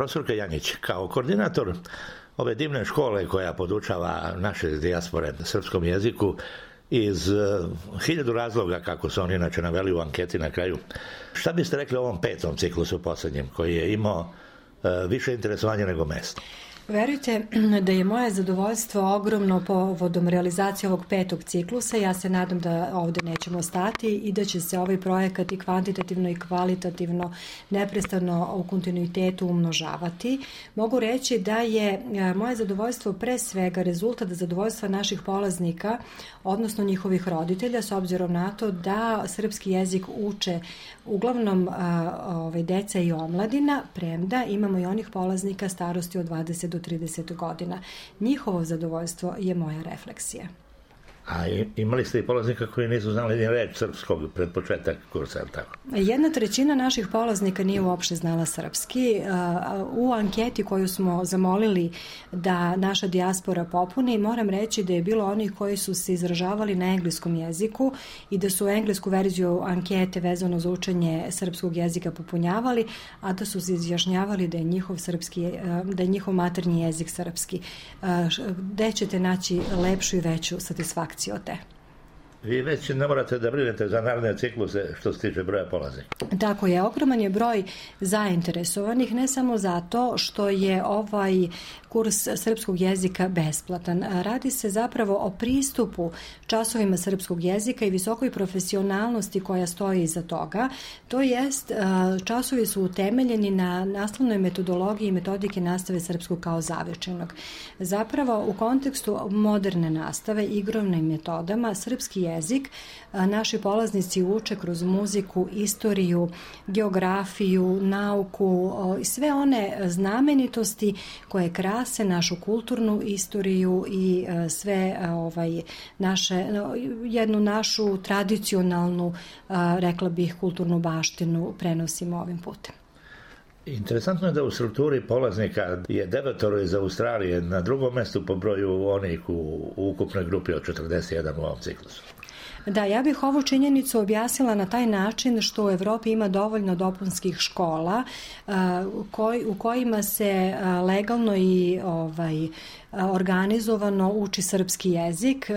Profesorka Janjić, kao koordinator ove divne škole koja podučava naše dijaspore srpskom jeziku iz 1000 razloga, kako su oni inače naveli u anketi na kraju, šta biste rekli o ovom 5. ciklusu posljednjem, koji je imao više interesovanja nego mesta? Verujte da je moje zadovoljstvo ogromno povodom realizacije ovog 5. ciklusa. Ja se nadam da ovde nećemo stati i da će se ovaj projekat i kvantitativno i kvalitativno neprestano u kontinuitetu umnožavati. Mogu reći da je moje zadovoljstvo pre svega rezultat zadovoljstva naših polaznika, odnosno njihovih roditelja, s obzirom na to da srpski jezik uče uglavnom deca i omladina, premda imamo i onih polaznika starosti od 20 do 30 godina. Njihovo zadovoljstvo je moja refleksija. A imali ste i polaznika koji nisu znali ni reč srpskog pred početak kursa, tako? 1/3 naših polaznika nije uopšte znala srpski. U anketi koju smo zamolili da naša dijaspora popuni, moram reći da je bilo onih koji su se izražavali na engleskom jeziku i da su englesku verziju ankete vezano za učenje srpskog jezika popunjavali, a da su se izjašnjavali da je njihov maternji jezik srpski. Gde ćete naći lepšu i veću satisfakciju od te? Vi već ne morate da brinete za naredne cikluse što se tiče broja polaznika. Tako je, ogroman je broj zainteresovanih, ne samo zato što je ovaj kurs srpskog jezika besplatan. Radi se zapravo o pristupu časovima srpskog jezika i visokoj profesionalnosti koja stoji iza toga. To jest, časovi su utemeljeni na nastavnoj metodologiji i metodike nastave srpskog kao zavičajnog. Zapravo, u kontekstu moderne nastave, igrovnim metodama, srpski jezik naši polaznici uče kroz muziku, istoriju, geografiju, nauku i sve one znamenitosti koje krase našu kulturnu istoriju i sve jednu našu tradicionalnu, rekla bih, kulturnu baštinu prenosimo ovim putem. Interesantno je da u strukturi polaznika je 9 iz Australije na drugom mestu po broju onih u ukupnoj grupi od 41 u ovom ciklusu. Da, ja bih ovu činjenicu objasnila na taj način što u Evropi ima dovoljno dopunskih škola u kojima se legalno i organizovano uči srpski jezik.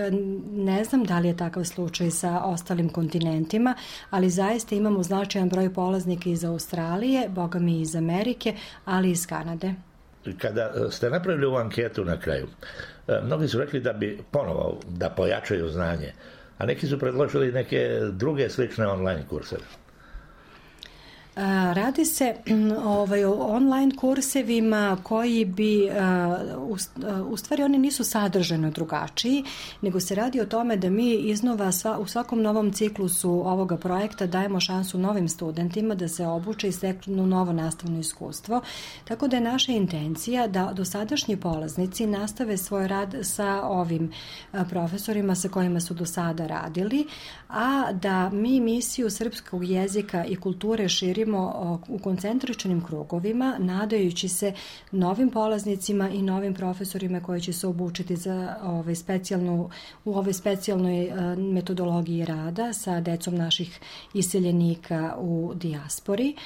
Ne znam da li je takav slučaj sa ostalim kontinentima, ali zaista imamo značajan broj polaznika iz Australije, boga mi iz Amerike, ali i iz Kanade. Kada ste napravili ovu anketu na kraju, mnogi su rekli da bi ponovo da pojačaju znanje, a neki su predložili neke druge slične online kurseve. Radi se o online kursevima koji bi, u stvari oni nisu sadržajno drugačiji, nego se radi o tome da mi iznova u svakom novom ciklusu ovoga projekta dajemo šansu novim studentima da se obuče i steknu novo nastavno iskustvo. Tako da je naša intencija da dosadašnji polaznici nastave svoj rad sa ovim profesorima sa kojima su do sada radili, a da mi misiju srpskog jezika i kulture širimo u koncentričnim krugovima, nadajući se novim polaznicima i novim profesorima koji će se obučiti za u ovoj specijalnoj metodologiji rada sa decom naših iseljenika u dijaspori.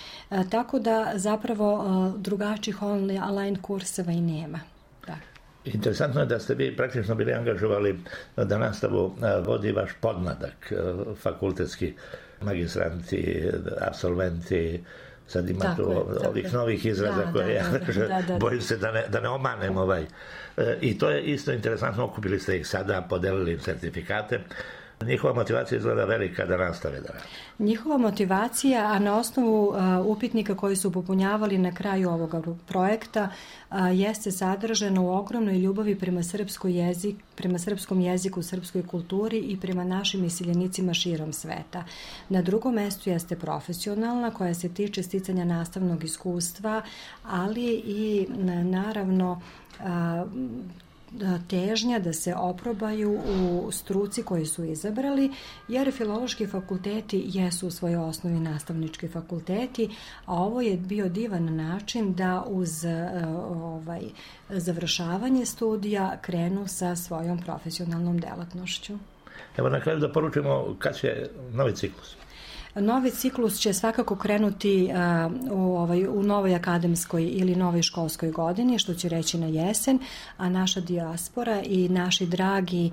Tako da zapravo drugačijih online kurseva i nema. Da. Interesantno je da ste vi praktično bili angažovali da nastavu vodi vaš podmladak, fakultetski magistranti, absolventi, sad ima tu ovih novih izraza koje ja bojim se da ne omanem I to je isto interesantno, okupili ste ih sada, podelili im sertifikate. Njihova motivacija izgleda velika da nastave da rade. Njihova motivacija, a na osnovu upitnika koji su popunjavali na kraju ovoga projekta, jeste sadržano u ogromnoj ljubavi prema srpskom jeziku, srpskoj kulturi i prema našim iseljenicima širom sveta. Na drugom mestu jeste profesionalna, koja se tiče sticanja nastavnog iskustva, ali i naravno težnja da se oprobaju u struci koju su izabrali, jer filološki fakulteti jesu u svojoj osnovi nastavnički fakulteti, a ovo je bio divan način da uz završavanje studija krenu sa svojom profesionalnom delatnošću. Evo na kraju da poručimo kad će novi ciklus. Novi ciklus će svakako krenuti u novoj akademskoj ili novoj školskoj godini, što će reći na jesen, a naša dijaspora i naši dragi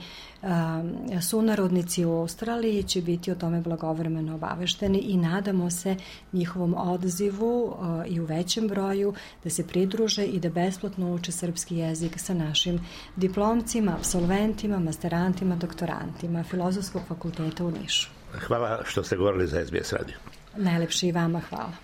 sunarodnici u Australiji će biti o tome blagovremeno obavešteni i nadamo se njihovom odazivu i u većem broju da se pridruže i da besplatno uče srpski jezik sa našim diplomcima, apsolventima, masterantima, doktorantima Filozofskog fakulteta u Nišu. Hvala što ste govorili za SBS radio. Najlepše i vama hvala.